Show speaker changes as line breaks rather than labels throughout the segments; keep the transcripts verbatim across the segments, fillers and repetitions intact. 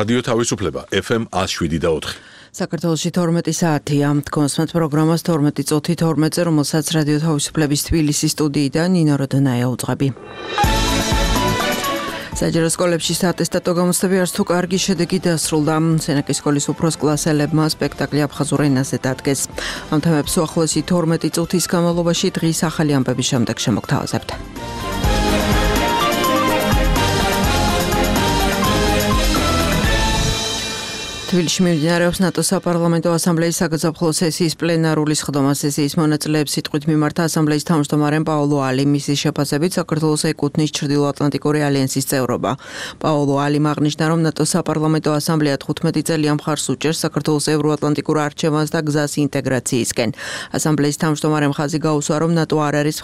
რადიო თავისუფლება ეფ ემ ათს შვიდი და ოთხი.
საქართველოში თორმეტი საათია. თქვენს პროგრამას თორმეტი წუთი თორმეტზე, რომელსაც რადიო თავისუფლების თბილისის სტუდიიდან ნინო როდონაია უძღვები. საჯარო სკოლებში საატესტატო გამოცდები არც თუ კარგი შედეგი დასრულდა. სენაკის სკოლის უფროს კლასელებმა სპექტაკლი აფხაზურ ენაზე დადგეს. ამ თემებს უახლოესი თორმეტი წუთის განმავლობაში დღის ახალი ამბების შემდეგ შემოგთავაზებთ. თბილისში მიმდინარეობს ნატოს საპარლამენტო ასამბლეის საგაზაფხულო სესიის პლენარული სხდომა. სესიის მონაწილეებს სიტყვით მიმართა ასამბლეის თავმჯდომარემ პაოლო ალი. მისი შეფასებით საქართველოს ეკუთვნის ჩრდილოატლანტიკური ალიანსის წევრობა. პაოლო ალიმ აღნიშნა, რომ ნატოს საპარლამენტო ასამბლეა თხუთმეტი წელია მხარს უჭერს საქართველოს ევროატლანტიკურ არჩევანს და გზას ინტეგრაციისკენ. ასამბლეის თავმჯდომარემ ხაზი გაუსვა, რომ ნატო არ არის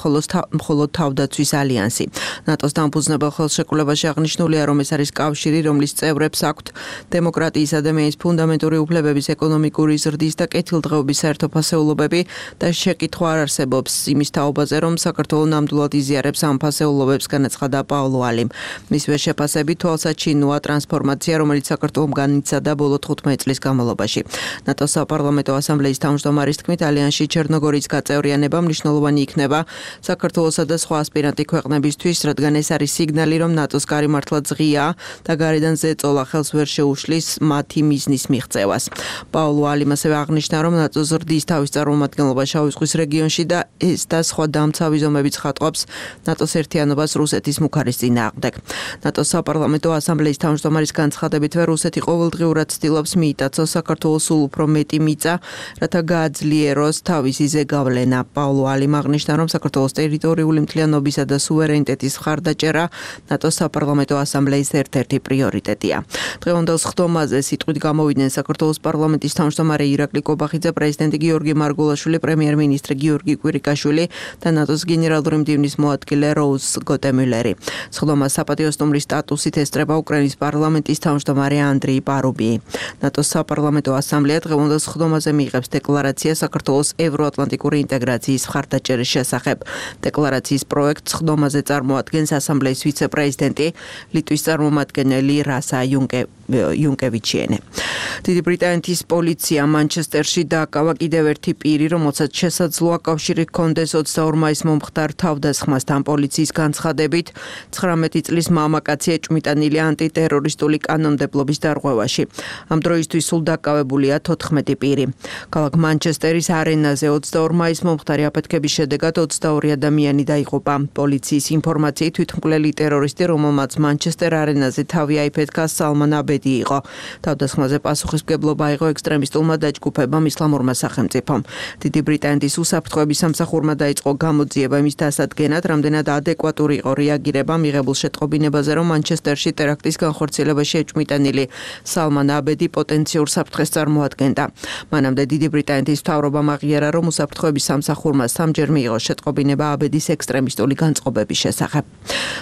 მხოლოდ თავდაცვის ალიანსი. ნატოს დამფუძნებელ ხელშეკრულებაში აღნიშნულია, რომ ეს არის კავშირი, რომლის წევრებს აქვთ დემოკრატიის, ადამიანის ფუნდამენტური უფლებების, ეკონომიკური ზრდის და კეთილდღეობის საერთოფასეულობები და შეკითხვა არ არსებობს იმის თაობაზე, რომ საქართველო ნამდვილად იზიარებს ამ ფასეულობებს, განაცხადა პაოლო ალიმ. მისივე შეფასებით თვალსაჩინოა ტრანსფორმაცია, რომელიც საქართველომ განიცადა ბოლო თხუთმეტი წლის განმავლობაში. ნატოს საპარლამენტო ასამბლეის თავმჯდომარის თქმით, ალიანსში ჩერნოგორიის გაწევრიანება მნიშვნელოვანი იქნება საქართველოსა და სხვა ასპირანტი ქვეყნებისთვის, რადგან ეს არის სიგნალი, რომ ნატოს კარი მართლა ღიაა და გარედან ზეწოლა ხელს ვერ შეუშლის მათი მიზნის მიღწევას. პაოლო ალიმ ასევე აღნიშნა, რომ ნატო ზრდის თავის წარმომადგენლობა შავი ზღვის რეგიონში და ეს და სხვა დამცავი ზომები ცხადყოფს ნატოს ერთიანობას რუსეთის მუქარის წინააღმდეგ. ნატოს საპარლამენტო ასამბლეის თავმჯდომარის განცხადებითვე რუსეთი ყოველდღიურად ცდილობს მიიტაცოს საქართველოს სულ უფრო მეტი მიწა, რათა გააძლიეროს თავისი ზეგავლენა. პაოლო ალიმ აღნიშნა, რომ საქართველოს ტერიტორიული მთლიანობისა და სუვერენიტეტის მხარდაჭერა ნატოს საპარლამენტო ასამბლეის ერთ-ერთი პრიორიტეტია. დღევანდელ სხდომაზე სიტყვით გამოვიდნენ საქართველოს პარლამენტის თავმჯდომარე ირაკლი კობახიძე, პრეზიდენტი გიორგი მარგულაშვილი, პრემიერ-მინისტრი გიორგი კვირიკაშვილი და ნატოს გენერალური მდივნის მოადგილე როუზ გოტემილერი. სხდომას საპატიო სტუმრის სტატუსით ესწრება უკრაინის პარლამენტის თავმჯდომარე ანდრეი პარუბი. ნატოს საპარლამენტო ასამბლეა დღევანდელ სხდომაზე მიიღებს დეკლარაცია საქართველოს ევროატლანტიკური ინტეგრაციის მხარდაჭერის შესახებ. დეკლარაციის პროექტს სხდომაზე წარმოადგენს ასამბლეის ვიცე-პრეზიდენტი, ლიტვის წარმომადგენელი რასა იუნკევიჩიენე. დიდი ბრიტანეთის პოლიცია მანჩესტერში დააკავა კიდევ ერთი პირი, რომელსაც შესაძლოა კავშირი ჰქონდეს ოცდაორ მაისს მომხდარ თავდასხმასთან. პოლიციის განცხადებით, ცხრამეტი წლის მამაკაცი ეჭვმიტანილია ანტიტერორისტული კანონმდებლობის დარღვევაში. ამ დროისთვის სულ დაკავებულია თოთხმეტი პირი. ქალაქ მანჩესტერის არენაზე ოცდაორ მაისს მომხდარი აფეთქების შედეგად ოცდაორი ადამიანი დაიღუპა. პოლიციის ინფორმაციით თვითმკვლელი ტერორისტი, რომელმაც მანჩესტერ არენაზე თავი აიფეთქა, სალმან აბედი იყო. თავდასხმაზე პასუხისმგებლობა აიღო ექსტრემისტულმა დაჯგუფებამ ისლამურმა სახელმწიფომ. დიდი ბრიტანეთის უსაფრთხოების სამსახურმა დაიწყო გამოძიება იმის დასადგენად, რამდენად ადეკვატური იყო რეაგირება მიღებულ შეტყობინებაზე, რომ მანჩესტერში ტერაქტის განხორციელებაში ეჭვმიტანილი სალმან აბედი პოტენციურ საფრთხეს წარმოადგენდა. მანამდე დიდი ბრიტანეთის მთავრობამ აღიარა, რომ უსაფრთხოების სამსახურმა სამჯერ მიიღო შეტყობინება აბედის ექსტრემისტული განწყობების შესახებ.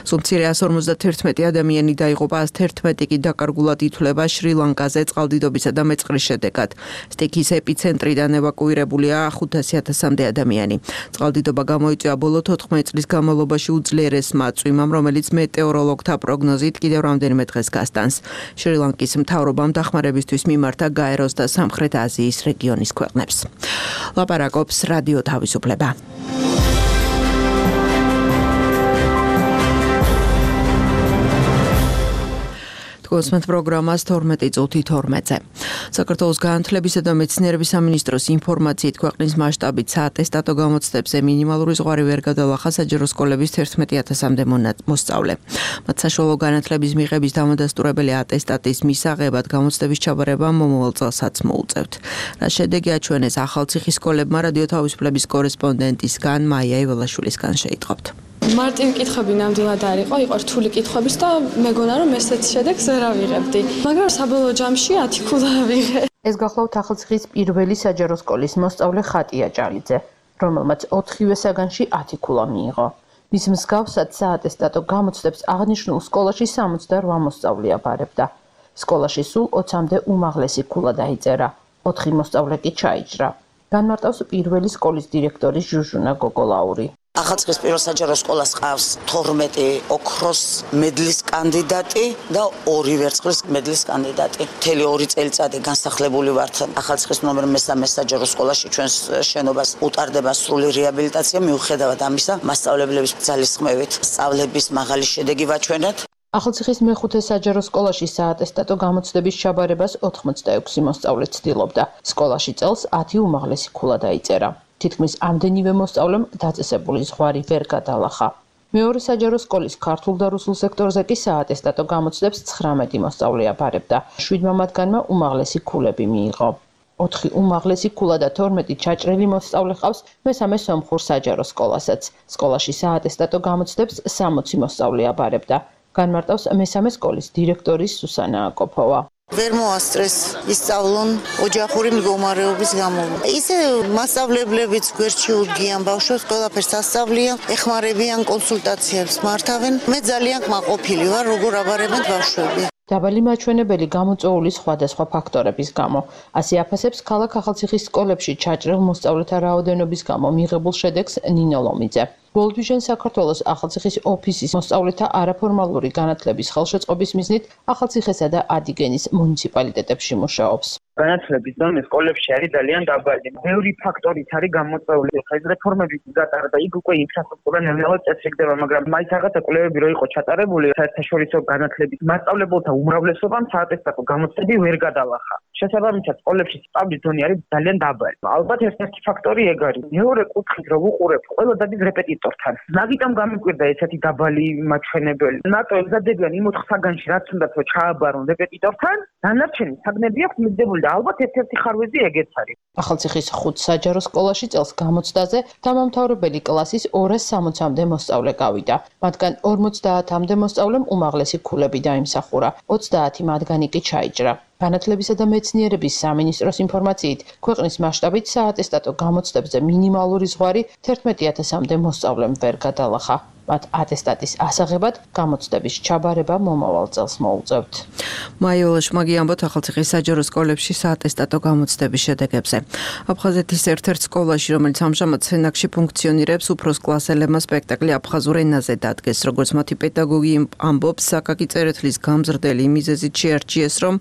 სულ მცირე ასი ორმოცდათერთმეტი ადამიანი დაიღუპა, ას თერთმეტი კი დაკარგულად ითვლება შრი-ლანკაზე წყალდიდობისა და მეწყრის შედეგად. სტიქის ეპიცენტრიდან ევაკუირებულია ხუთასი ათასამდე ადამიანი. წყალდიდობა გამოიწვია ბოლო თოთხმეტი წლის განმავლობაში უძლიერესმა წვიმამ, რომელიც მეტეოროლოგთა პროგნოზით კიდევ რამდენიმე დღეს გასტანს. შრი-ლანკის მთავრობამ დახმარებისთვის მიმართა გაეროს და სამხრეთ აზიის რეგიონის ქვეყნებს. ლაპარაკობს რადიო თავისუფლება. თქვენს პროგრამას თორმეტი წუთი თორმეტზე. საქართველოს განათლებისა და მეცნიერების სამინისტროს ინფორმაციით ქვეყნის მასშტაბით საატესტატო გამოცდებზე მინიმალური ზღვარი ვერ გადალახა საჯარო სკოლების თერთმეტი ათასამდე მოსწავლე. მათ საშუალო განათლების მიღების დამადასტურებელი ატესტატის მისაღებად გამოცდების ჩაბარება მომავალ წელსაც მოუწევთ. რა შედეგი აჩვენეს ახალციხის სკოლებმა, რადიო თავისუფლების კორესპონდენტისგან მაია იველაშვილისგან შეიტყობთ.
მარტივი კითხვები ნამდვილად არ იყო, იყო რთული კითხვების და მეგონა რომ ესეც შედეგს ვერ ავიღებდი. მაგრამ საბოლოო ჯამში ათი ქულა ავიღე.
ეს გახლავთ ახალციხის პირველი საჯარო სკოლის მოსწავლე ხატია ჭალიძე, რომელმაც ოთხივე საგანში ათი ქულა მიიღო. მის მსგავსად საატესტატო გამოცდებს აღნიშნულ სკოლაში სამოცდარვა მოსწავლე აბარებდა. სკოლაში სულ ოცამდე უმაღლესი ქულა დაიწერა, ოთხი მოსწავლე კი ჩაიჭრა. განმარტავს პირველი სკოლის დირექტორი ჟუჟუნა გოგოლაური.
ახალციხის პირველ საჯარო სკოლას ყავს თორმეტი ოქროს მედლის კანდიდატი და ორი ვერცხლის მედლის კანდიდატი. მთელი ორი წელიწადი განსახლებული ვართ ახალციხის ნომერ მესამე საჯარო სკოლაში. ჩვენს შენობას უტარდება სრული რეაბილიტაცია, მიუხედავად ამისა, მასწავლებლების ძალისხმევით სწავლების მაღალი შედეგი ვაჩვენეთ.
ახალციხის მეხუთე საჯარო სკოლაში საატესტატო გამოცდების ჩაბარებას ოთხმოცდაექვსი მოსწავლე ცდილობდა. სკოლაში წელს ათი უმაღლესი ქულა დაიწერა. თითქმის ამდენივე მოსწავლემ დაწესებული ზღვარი ვერ გადალახა. მეორე საჯარო სკოლის ქართულ და რუსულ სექტორზე კი საატესტატო გამოცდებს ცხრამეტი მოსწავლე აბარებდა. შვიდმა მათგანმა უმაღლესი ქულები მიიღო. ოთხი უმაღლესი ქულა და თორმეტი ჩაჭრილი მოსწავლე ყავს მესამე სომხურ საჯარო სკოლასაც. სკოლაში საატესტატო გამოცდებს სამოცი მოსწავლე აბარებდა. განმარტავს მესამე სკოლის დირექტორის სუსანა აკოფოვა.
ვერ მოასწრეს ისწავლონ ოჯახური მდგომარეობის გამო. ისე მასწავლებლებიც გვერდში უდგიან ბავშვებს, ყველაფერს ასწავლიან, ეხმარებიან, კონსულტაციებს მართავენ. მე ძალიან კმაყოფილი ვარ, როგორ აბარებენ ბავშვები.
დაბალი მაჩვენებელი გამოწვეული სხვადასხვა ფაქტორების გამო. ასე აფასებს ქალაქ ახალციხის სკოლებში ჩაჭრილ მოსწავლეთა რაოდენობის გამო მიღებულ შედეგს ნინო ლომიძე. World Vision საქართველოს ახალციხის ოფისის მოსწავლეთა არაფორმალური განათლების ხელშეწყობის მიზნით ახალციხესა და ადიგენის მუნიციპალიტეტებში მუშაობს.
განათლების დონე სკოლებში არის ძალიან დაბალი. ბევრი ფაქტორით არის გამოწვეული. ხა ეს რეფორმები გატარდა, იქ უკვე ინფრასტრუქტურა ნელ-ნელა წესრიგდება, მაგრამ მაინც რაღაცა კვლევები რო იყო ჩატარებული, საერთაშორისო განათლების მასწავლებელთა უმრავლესობამ საატესტატო გამოცდები ვერ გადალახა. შესაბამისად, სკოლებში სწავლის დონე არის ძალიან დაბალი. ალბათ ერთ-ერთი ფაქტორი ეგ არის. მეორე კუთხით რო ვუყურებთ, ყველა დადის რეპეტიტორთან. მაგიტომ გამიკვირდა ესეთი დაბალი მაჩვენებელი. ნატო ემზადებიან იმ ოთხ საგანში, რაც უნდათ რომ ჩააბარონ რეპეტიტორთან, დანარჩენი საგნები აქვს მიღებული. ალბათ ერთ-ერთი ხარვეზი ეგეც არის.
ახალციხის ხუთ საჯარო სკოლაში წელს გამოცდაზე დამამთავრებელი კლასის ორას სამოცამდე მოსწავლე გავიდა. მათგან ორმოცდაათამდე მოსწავლემ უმაღლესი ქულები დაიმსახურა. ოცდაათი მათგანი კი ჩაიჭრა. განათლებისა და მეცნიერების სამინისტროს ინფორმაციით, ქვეყნის მასშტაბით საატესტატო გამოცდებზე მინიმალური ზღვარი თერთმეტი ათასამდე მოსწავლემ ვერ გადალახა. მათ ატესტატის ასაღებად გამოცდების ჩაბარება მომავალ წელს მოუწევთ.
მაიოლა შმაგი ამბობთ ახალციხის საჯარო სკოლებში საატესტატო გამოცდების შედეგებზე. აფხაზეთის ერთ-ერთ სკოლაში, რომელიც ამჟამად სენაკში ფუნქციონირებს, უფროს კლასელებმა სპექტაკლი აფხაზურ ენაზე დადგეს. როგორც მათი პედაგოგი ამბობს, საკაკი წერეთლის გამზრდელი მიზეზით შეარჩიეს, რომ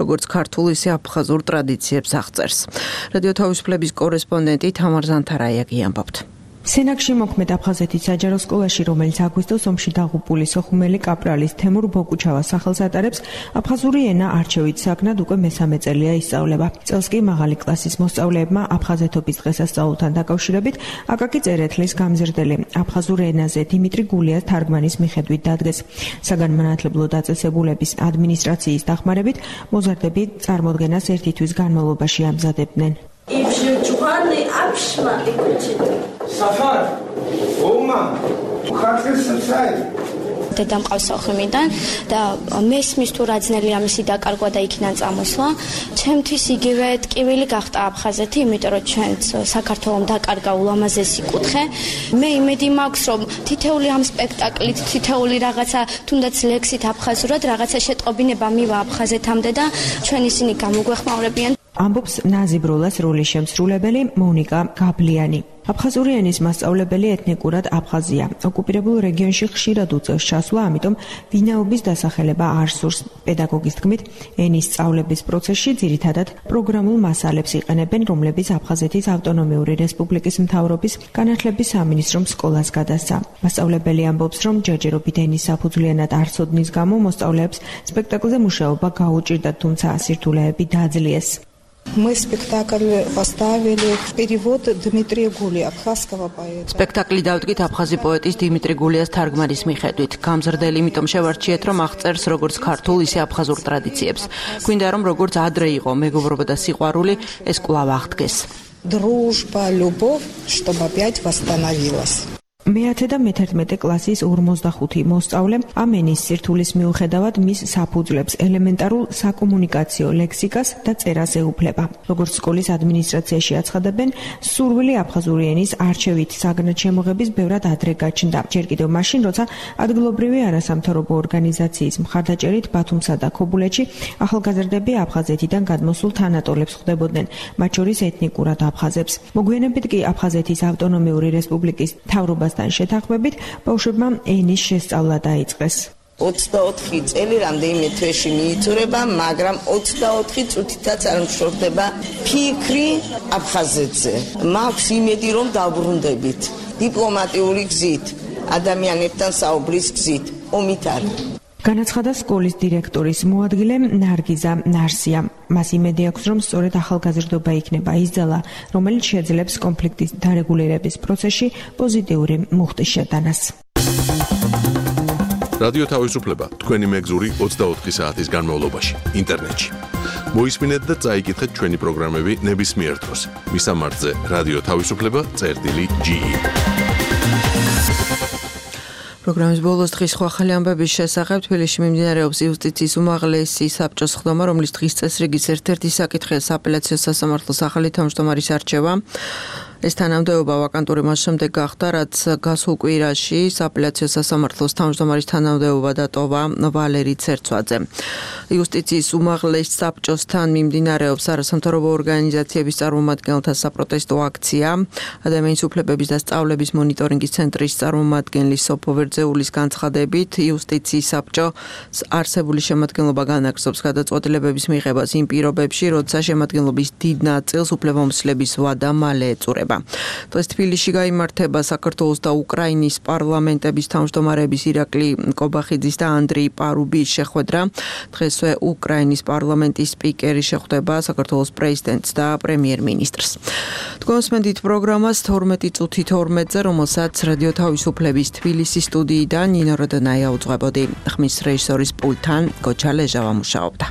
როგორც ქართულ, ისე აფხაზურ ტრადიციებს აღწერს. რადიო თავისუფლების კორესპონდენტი თამარ ზანთარაიაგი ამბობთ.
სენაკში მოქმედ აფხაზეთის საჯარო სკოლაში, რომელიც აგვისტოს ომში დაღუპული სოხუმელი კაპრალის თემურ ბოკუჩავას სახელს ატარებს, აფხაზური ენა არჩევით საგნად უკვე მესამე წელია ისწავლება. წელს კი მაღალი კლასის მოსწავლეებმა აფხაზეთობის დღესასწაულთან დაკავშირებით აკაკი წერეთლის გამზრდელი აფხაზურ ენაზე დიმიტრი გულიას თარგმანის მიხედვით დადგეს. საგანმანათლებლო დაწესებულების ადმინისტრაციის დახმარებით მოზარდები წარმოდგენას ერთი თვის განმავლობაში ამზადებდნენ.
Safar, Oma, ხარხეს საი.
დედა მყავს სოხუმიდან და მესმის თუ რა ძნელი ამისი დაკარგვა და იქიდან წამოსვლა. ჩემთვის იგივე ტკივილი გახდა აფხაზეთი, იმიტომ რომ ჩვენც საქართველოს დაკარგა ულამაზესი კუთხე. მე იმედი მაქვს, რომ თითეული ამ სპექტაკლით, თითეული რაღაცა, თუნდაც ლექსით აფხაზურად რაღაცა შეტყობინება მივა აფხაზეთამდე და ჩვენ ისინი გამოგვეხმაურებიან.
ამბობს ნაზიბროლას როლის შემსრულებელი მონიკა გაბლიანი. აფხაზური ენის მასწავლებელი ეთნიკურად აფხაზია. ოკუპირებულ რეგიონში ხშირად უწევს ჩასვლა, ამიტომ ვინაობის დასახელება არ სურს. პედაგოგის თქმით, ენის სწავლების პროცესში ძირითადად პროგრამულ მასალებს იყენებენ, რომლებიც აფხაზეთის ავტონომიური რესპუბლიკის მთავრობის განათლების სამინისტრომ სკოლას გადასცა. მასწავლებელი ამბობს, რომ ჯერჯერობით ენის საფუძვლიანად არ ცოდნის გამო მოსწავლეებს სპექტაკლზე მუშაობა გაუჭირდათ, თუმცა სირთულეები დააძლიეს.
Мы спектакль поставили перевод Дмитрия Гулия, абхазского поэта.
სპექტაკლი დავდგით აფხაზი პოეტის დიმიტრი გულიას თარგმანის მიხედვით. გამზრდელი იმიტომ შევარჩიეთ, რომ აღწერს როგორც ქართულ, ისე აფხაზურ ტრადიციებს. გვინდა რომ როგორც ადრე იყო მეგობრობა და სიყვარული, ეს კვლავ აღდგეს.
Дружба, любовь, чтобы опять восстановилась.
მეათე და მეთერთმეტე კლასის ორმოცდახუთი მოსწავლე ამ ენის სირთულის მიუხედავად მის საფუძვლებს ელემენტარულ საკომუნიკაციო ლექსიკას და წერას ეუფლება. როგორც სკოლის ადმინისტრაციაში აცხადებენ, სურვილი აფხაზური ენის არჩევით საგანმანათლებლობის ბევრად ადრე გაჩნდა. ჯერ კიდევ მაშინ, როცა ადგილობრივი არასამთავრობო ორგანიზაციის მხარდაჭერით ბათუმსა და ქობულეთში ახალგაზრდები აფხაზეთიდან გადმოსულ თანატოლებს ხვდებოდნენ, მათ შორის ეთნიკურად აფხაზებს. მოგვიანებით კი აფხაზეთის ავტონომიური რესპუბლიკის მთავრობასთან შეთანხმებით ბავშვებმა ენის შესწავლა დაიწყეს.
ოცდაოთხი წელი რამდენიმე თვეში მიიწურება, მაგრამ ოცდაოთხი წუთითაც არ მშორდება ფიქრი აფხაზეთზე. მაქვს იმედი, რომ დავბრუნდებით დიპლომატიური გზით, ადამიანებთან საუბრის გზით, ომით არ.
განაცხადა სკოლის დირექტორის მოადგილე ნარგიზა ნარსია. მას იმედი აქვს, რომ სწორედ ახალგაზრდობა იქნება ის ძალა, რომელიც შეძლებს კონფლიქტის დარეგულირების პროცესში პოზიტიური მუხტის შეტანას.
რადიო თავისუფლება თქვენი მეგზური ოცდაოთხი საათის განმავლობაში ინტერნეტში. მოისმინეთ და წაიკითხეთ ჩვენი პროგრამები ნებისმიერ დროს. მისამართზე რადიო თავისუფლება წერტილი ჯი ი.
პროგრამის ბოლოს დღის სხვა ახალი ამბების შესახებ თბილისში მიმდინარეობს იუსტიციის უმაღლესი საბჭოს ხდომა, რომლის დღის წესრიგის ერთ-ერთი საკითხია სააპელაციო სასამართლოს ახალი თავმჯდომარის არჩევა. ეს თანამდებობა ვაკანტური მას შემდეგ გახდა, რაც გასულ კვირაში სააპელაციო სასამართლოს თავმჯდომარის თანამდებობა დატოვა ვალერი ცერცვაძე. იუსტიციის უმაღლეს საბჭოსთან მიმდინარეობს არასამთავრობო ორგანიზაციების წარმომადგენელთა საპროტესტო აქცია. ადამიანის უფლებების და სწავლების მონიტორინგის ცენტრის წარმომადგენლის სოფო ვერძეულის განცხადებით, იუსტიციის საბჭოს არსებული შემადგენლობა განაგრძობს გადაწყვეტილებების მიღებას იმ პირობებში, როცა შემადგენლობის დიდ ნაწილს უფლებამოსილების ვადა მალე ეწურება. დღეს თბილისში გაიმართება საქართველოს და უკრაინის პარლამენტების თავმჯდომარეების ირაკლი კობახიძის და ანდრეი პარუბის შეხვედრა. დღესვე უკრაინის პარლამენტის სპიკერი შეხვდება საქართველოს პრეზიდენტს და პრემიერ-მინისტრს. თქვენსმენდით პროგრამას თორმეტი წუთი თორმეტზე, რომელსაც რადიო თავისუფლების თბილისის სტუდიიდან ნინო როდონაია უძღვებოდი. ხმის რეჟისორის პულტთან გოჩა ლეჟავა მუშაობდა.